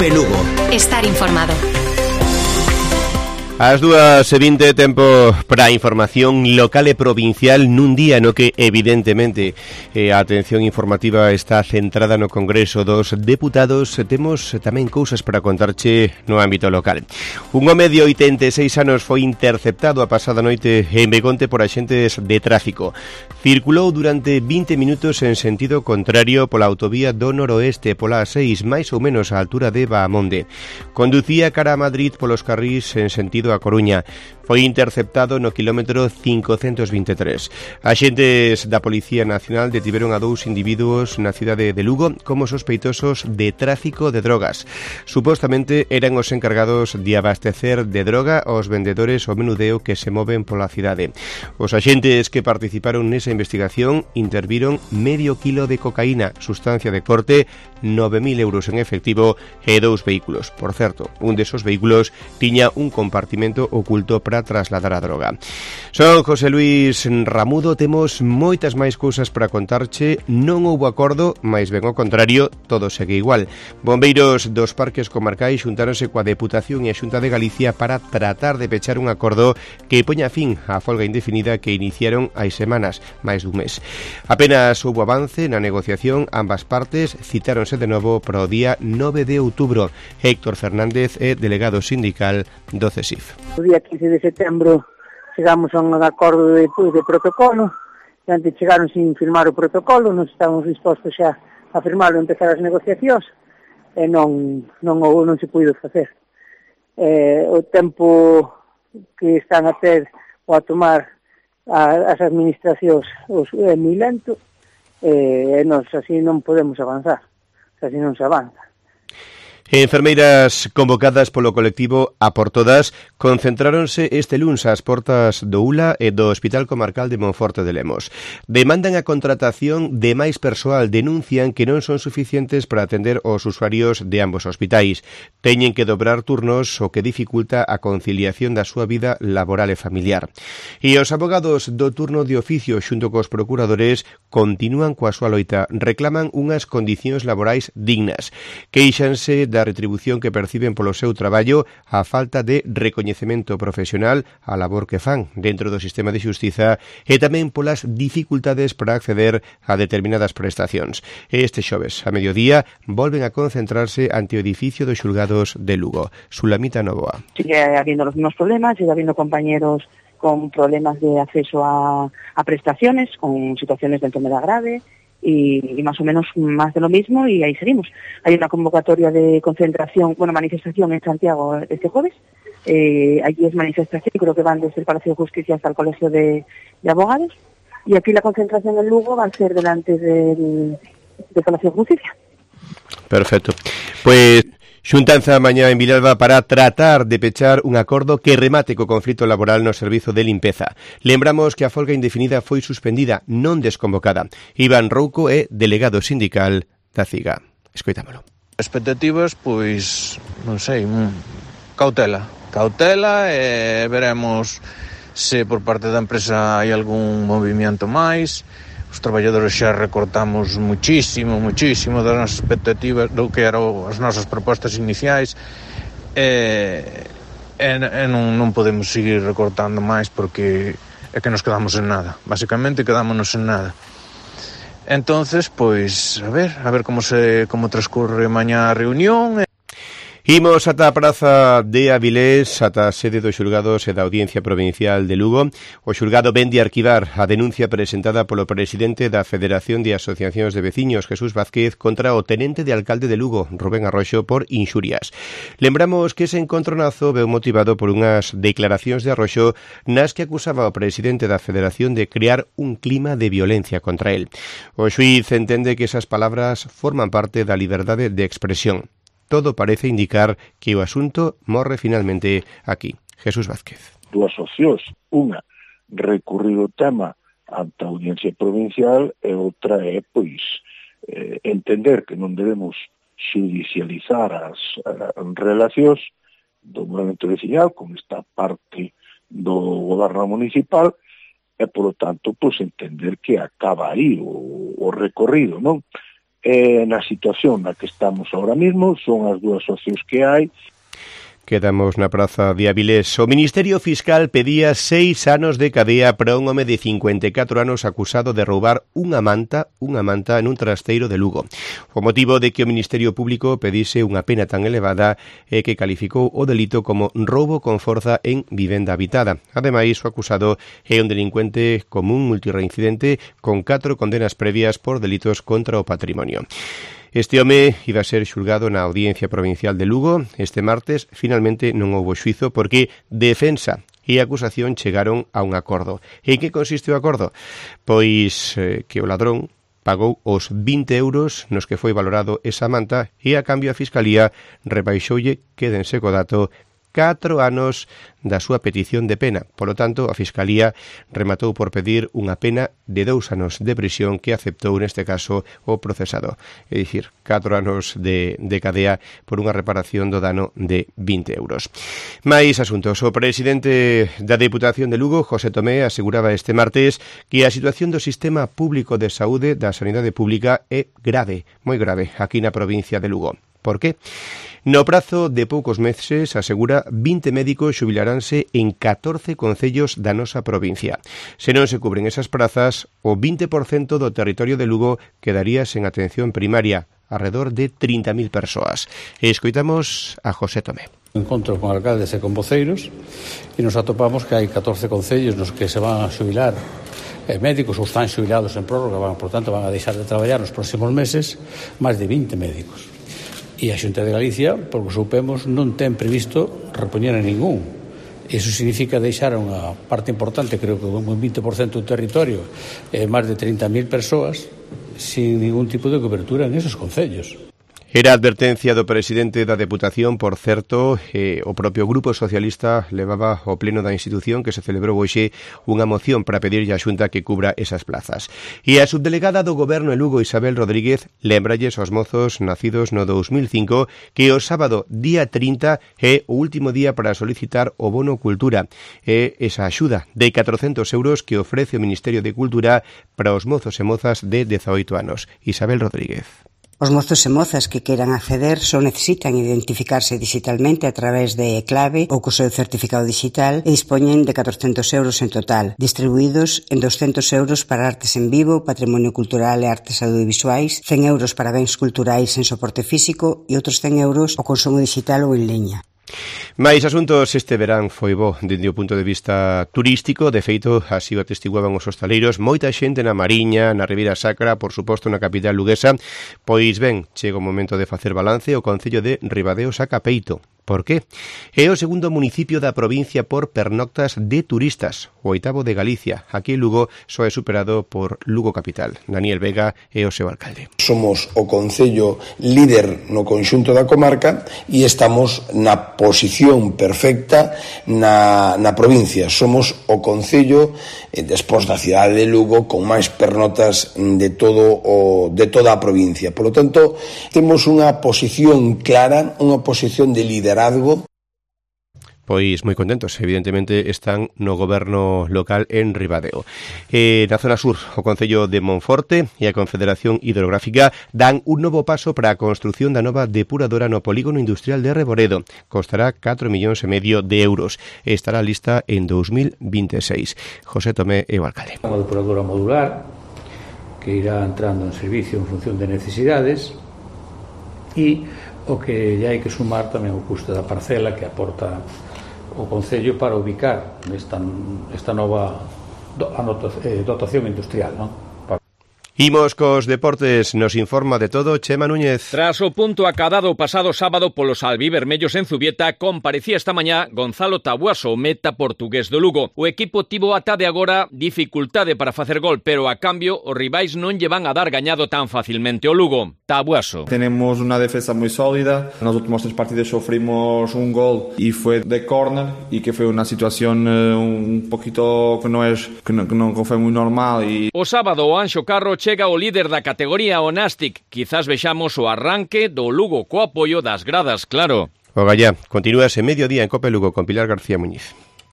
Telefe Lugo. Estar informado. As 2:20, tempo para a información local e provincial nun día no que, evidentemente, a atención informativa está centrada no Congreso dos Deputados. Temos tamén cousas para contarche no ámbito local. Un home de 86 anos foi interceptado a pasada noite en Begonte por axentes de tráfico. Circulou durante 20 minutos en sentido contrario pola autovía do noroeste, pola A6, máis ou menos á altura de Baamonde. Conducía cara a Madrid polos carrís en sentido a Coruña. Foi interceptado no quilómetro 523. Axentes da Policía Nacional detiveron a 2 individuos na cidade de Lugo como sospeitosos de tráfico de drogas. Supostamente eran os encargados de abastecer de droga aos vendedores ao menudeo que se moven pola cidade. Os axentes que participaron nesa investigación interviron medio kilo de cocaína, sustancia de corte, 9.000 euros en efectivo e 2 vehículos. Por certo, un desos vehículos tiña un compartimento oculto para trasladar a droga. Son José Luis Ramudo, temos moitas máis cousas para contarche. Non houbo acordo, máis ben ao contrario, todo segue igual. Bombeiros dos parques comarcais xuntáronse coa Deputación e a Xunta de Galicia para tratar de pechar un acordo que poña fin á folga indefinida que iniciaron hai semanas, máis dun mes. Apenas houbo avance na negociación, ambas partes citáronse de novo para o día 9 de outubro. Héctor Fernández é delegado sindical do CESIF. O día 15 de setembro chegamos a un acordo de protocolo, e antes chegaron sin firmar o protocolo, nos estamos dispostos xa a firmarlo e empezar as negociacións, e non se puido facer. O tempo que están a ter ou a tomar as administracións é moi lento, e nós así non podemos avanzar, así non se avanza. Enfermeiras convocadas polo colectivo A por Todas concentráronse este luns ás portas do ULA e do Hospital Comarcal de Monforte de Lemos. Demandan a contratación de máis persoal, denuncian que non son suficientes para atender os usuarios de ambos hospitais. Teñen que dobrar turnos, o que dificulta a conciliación da súa vida laboral e familiar. E os abogados do turno de oficio xunto cos procuradores continúan coa súa loita, reclaman unhas condicións laborais dignas. Queixanse da retribución que perciben polo seu traballo, a falta de recoñecemento profesional á labor que fan dentro do sistema de xustiza e tamén polas dificultades para acceder a determinadas prestacións. Este xoves, a mediodía, volven a concentrarse ante o edificio dos xulgados de Lugo. Sulamita Novoa. Sigue habiendo los mismos problemas, sigue habiendo compañeros con problemas de acceso a prestaciones, con situaciones de enfermedad grave, y más o menos más de lo mismo, y ahí seguimos. Hay una convocatoria de concentración, manifestación en Santiago este jueves. Allí es manifestación, creo que van desde el Palacio de Justicia hasta el Colegio de Abogados, y aquí la concentración en Lugo va a ser delante del Palacio de Justicia. Perfecto. Pues xuntanza mañá en Vilalba para tratar de pechar un acordo que remate co conflito laboral no servizo de limpeza. Lembramos que a folga indefinida foi suspendida, non desconvocada. Iván Rouco é delegado sindical da CIGA. Escoitámolo. Expectativas, pois, non sei, cautela, e veremos se por parte da empresa hai algún movimento máis. Os traballadores xa recortamos muchísimo das nosas expectativas do que eran as nosas propostas iniciais, e non podemos seguir recortando máis porque é que nos quedamos en nada, basicamente quedámonos en nada. Entonces, pois, a ver como transcurre mañá a reunión. Imos ata a praza de Avilés, ata a sede dos xulgados e da Audiencia Provincial de Lugo. O xulgado ven de arquivar a denuncia presentada polo presidente da Federación de Asociacións de Veciños, Jesús Vázquez, contra o tenente de alcalde de Lugo, Rubén Arroxo, por inxurias. Lembramos que ese encontronazo veu motivado por unhas declaracións de Arroxo nas que acusaba ao presidente da Federación de crear un clima de violencia contra el. O xuíz entende que esas palabras forman parte da liberdade de expresión. Todo parece indicar que o asunto morre finalmente aquí. Jesús Vázquez. Dúas opcións. Unha, recurrir o tema ante a Audiencia Provincial, e outra é, entender que non debemos judicializar as relacións do movimento veciñal con esta parte do goberno municipal, e, polo tanto, entender que acaba aí o recorrido, non? na situación na que estamos ahora mismo, son as dúas opcións que hai. Quedamos na praza de Avilés. O Ministerio Fiscal pedía 6 anos de cadea para un home de 54 anos acusado de roubar unha manta nun trasteiro de Lugo. O motivo de que o Ministerio Público pedise unha pena tan elevada é que calificou o delito como roubo con forza en vivenda habitada. Ademais, o acusado é un delincuente común multireincidente con 4 condenas previas por delitos contra o patrimonio. Este home iba a ser xulgado na Audiencia Provincial de Lugo este martes. Finalmente non houbo xuizo porque defensa e acusación chegaron a un acordo. En que consiste o acordo? Pois que o ladrón pagou os 20 euros nos que foi valorado esa manta e a cambio a Fiscalía rebaixoulle, quédense co dato, 4 anos da súa petición de pena. Polo tanto, a Fiscalía rematou por pedir unha pena de 2 anos de prisión que aceptou neste caso o procesado. É dicir, 4 anos de cadea por unha reparación do dano de 20 euros. Mais asuntos. O presidente da Deputación de Lugo, José Tomé, aseguraba este martes que a situación do sistema público de saúde da sanidade pública é grave, moi grave, aquí na provincia de Lugo. Por qué? No prazo de poucos meses, asegura, 20 médicos xubilaranse en 14 concellos da nosa provincia. Se non se cubren esas prazas, o 20% do territorio de Lugo quedaría sen atención primaria, alrededor de 30.000 persoas. E escoitamos a José Tomé. Encontro con alcaldes e con voceiros e nos atopamos que hai 14 concellos nos que se van a xubilar médicos ou están xubilados en prórroga, por tanto van a deixar de traballar nos próximos meses máis de 20 médicos. E a Xunta de Galicia, por que supemos, non ten previsto repoñer a ningún. Iso significa deixar unha parte importante, creo que un 20% do territorio, máis de 30.000 persoas, sin ningún tipo de cobertura en esos concellos. Era a advertencia do presidente da Deputación, por certo, o propio Grupo Socialista levaba ao pleno da institución que se celebrou hoxe unha moción para pedirlle á Xunta que cubra esas plazas. E a subdelegada do Goberno en Lugo, Isabel Rodríguez, lembralles aos mozos nacidos no 2005 que o sábado, día 30, é o último día para solicitar o bono cultura. É esa axuda de 400 euros que ofrece o Ministerio de Cultura para os mozos e mozas de 18 anos. Isabel Rodríguez. Os mozos e mozas que queiran acceder só necesitan identificarse digitalmente a través de clave ou co seu certificado digital e dispoñen de 400 euros en total, distribuídos en 200 euros para artes en vivo, patrimonio cultural e artes audiovisuais, 100 euros para bens culturais en soporte físico e outros 100 euros o consumo digital ou en liña. Mais asuntos, este verán foi bo dende o punto de vista turístico. De feito, así o atestiguaban os hostaleiros, moita xente na Mariña, na Ribeira Sacra, por suposto na capital luguesa. Pois ben, chega o momento de facer balance. O concello de Ribadeo saca peito. Por qué? É o segundo municipio da provincia por pernoctas de turistas, o 8º de Galicia. Aquí en Lugo só é superado por Lugo Capital. Daniel Vega é o seu alcalde. Somos o concello líder no conxunto da comarca e estamos na posición perfecta na provincia. Somos o concello, despois da cidade de Lugo, con máis pernoctas de toda a provincia. Por lo tanto, temos unha posición clara, unha posición de liderazgo. Pois moi contentos, evidentemente están no goberno local en Ribadeo. Na zona sur, o Concello de Monforte e a Confederación Hidrográfica dan un novo paso para a construción da nova depuradora no polígono industrial de Reboredo. Costará 4,5 millóns de euros e estará lista en 2026. José Tomé é o alcalde. Unha depuradora modular que irá entrando en servicio en función de necesidades e o que lle hai que sumar tamén o custo da parcela que aporta o Concello para ubicar esta nova dotación industrial, non? Imos cos deportes, nos informa de todo Chema Núñez. Tras o punto acadado o pasado sábado polos albivermellos en Zubieta, comparecía esta mañá Gonzalo Tabuaso, o meta portugués do Lugo. O equipo tivo ata de agora dificultade para facer gol, pero a cambio os rivais non lle van a dar gañado tan facilmente o Lugo. Tabuaso. Tenemos una defensa muy sólida. Nos últimos 3 partidos sufrimos un gol y fue de córner y que fue una situación un poquito que non fue muy normal. O sábado o Anxo Carro chega o líder da categoría o Nastic. Quizás vexamos o arranque do Lugo co apoio das gradas, claro. O Gallá, continúas en mediodía en Cope Lugo con Pilar García Muñiz.